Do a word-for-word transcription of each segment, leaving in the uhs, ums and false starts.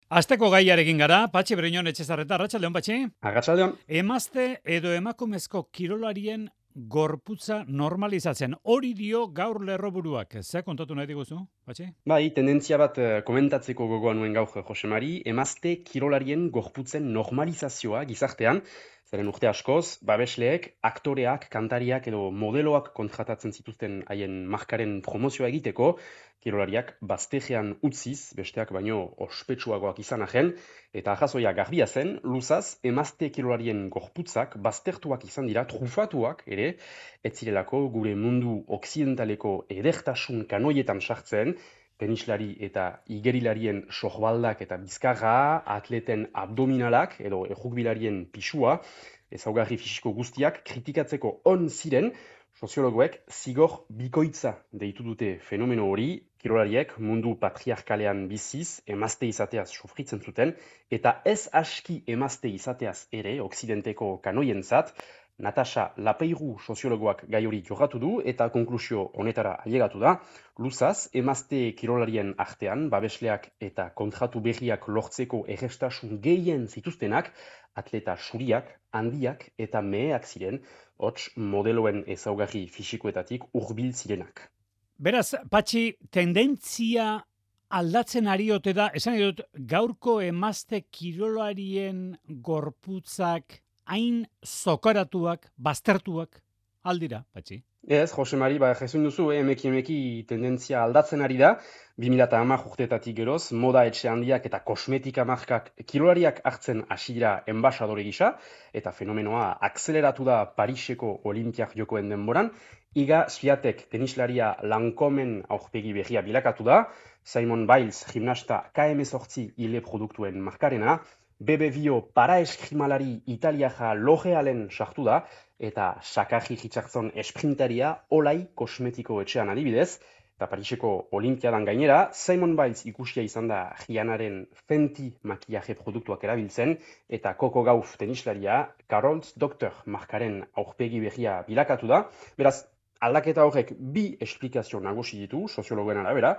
Asteko gaiarekin gara, Patxi Briñon Etxezarreta, arratsaldeon Patxi. Arratsaldeon. Emazte edo emakumezko kirolarien gorputza normalizatzen. Hori dio gaur lerroburuak. Ze kontatu nahi diguzu, Patxi? Bai, tendentzia bat eh, komentatzeko gogoa nuen gaur Jose Mari, emazte kirolarien gorputzen normalizazioa gizartean, zeren urte askoz, babesleek, aktoreak, kantariak edo modeloak kontratatzen zituzten haien markaren promozioa egiteko, kirolariak baztejean utziz, besteak baino ospetsuagoak izan arren, eta ahazoia garbia zen, luzaz, emazte kirolarien gorputzak baztertuak izan dira, trufatuak ere, ez zirelako gure mundu okzidentaleko edertasun kanoietan sartzen, tenislari eta igerilarien sohbaldak eta bizkarra, atleten abdominalak edo errukbilarien pisua, ezaugarri fisiko guztiak kritikatzeko on ziren, soziologoek zigor bikoitza deitu dute fenomeno hori, kirolariek mundu patriarkalean biziz, emazte izateaz sufritzen zuten, eta ez aski emazte izateaz ere, okzidenteko kanoientzat, Natasha Lapeiru soziologoak gai hori jorratu du eta konklusio honetara ailegatu da. Luzaz, emazte kirolarien artean, babesleak eta kontratu berriak lortzeko errestasun gehien zituztenak, atleta suriak, handiak eta meheak ziren, hots modeloen ezaugarri fisikoetatik hurbil zirenak. Beraz, Patxi, tendentzia aldatzen ari ote da, esan nahi dut, gaurko emazte kirolarien gorputzak hain zokaratuak, baztertuak, aldira, Patxi? Ez, Jose Mari, ba, jesuin duzu, eh, emeki emeki tendentzia aldatzen ari da, bi mila hamar urtetatik geroz, moda etxe handiak eta kosmetika markak kirolariak hartzen hasi dira enbasadore gisa, eta fenomenoa akzeleratu da Pariseko Olimpiak jokoen denboran, Iga Swiatek tenislaria Lancomen aurpegi berria bilakatu da, Simon Biles gimnasta K M zortzi hile produktuen markarena, Bebe Bio paraeskimalari italiaja L'Orealen sartu da, eta Sakarri Richardson esprintaria Olai kosmetiko etxean adibidez, eta Pariseko Olimpiadan gainera, Simon Biles ikusia izan da Rihanaren Fenty makillaje produktuak erabiltzen, eta Coco Gauff tenislaria Carol's Doctor markaren aurpegi berria bilakatu da. Beraz, aldaketa horrek bi esplikazio nagusi ditu, soziologoen arabera,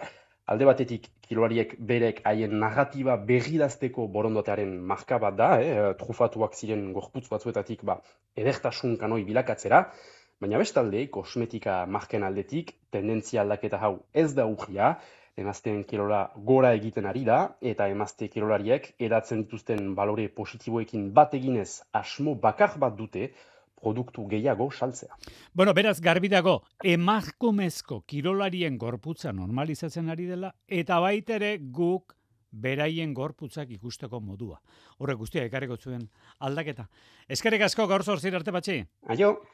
alde batetik kirolariek berek haien narratiba berridazteko borondatearen marka bat da, eh, trufatuak ziren gorputz batzuetatik ba, edertasun kanoi bilakatzera, baina bestalde, kosmetika marken aldetik, tendentzia aldaketa hau ez da urria, emazteen kirola gora egiten ari da, eta emazte kirolariek edatzen dituzten balore positiboekin bat eginez asmo bakar bat dute, produktu gehiago saltzea. Bueno, beraz, garbi dago, emakumezko kirolarien gorputza normalizatzen ari dela, eta baitere guk beraien gorputzak ikusteko modua. Horrek guztia ekarriko zuen aldaketa. Eskerrik asko gaur zortzir arte Patxi. Aio!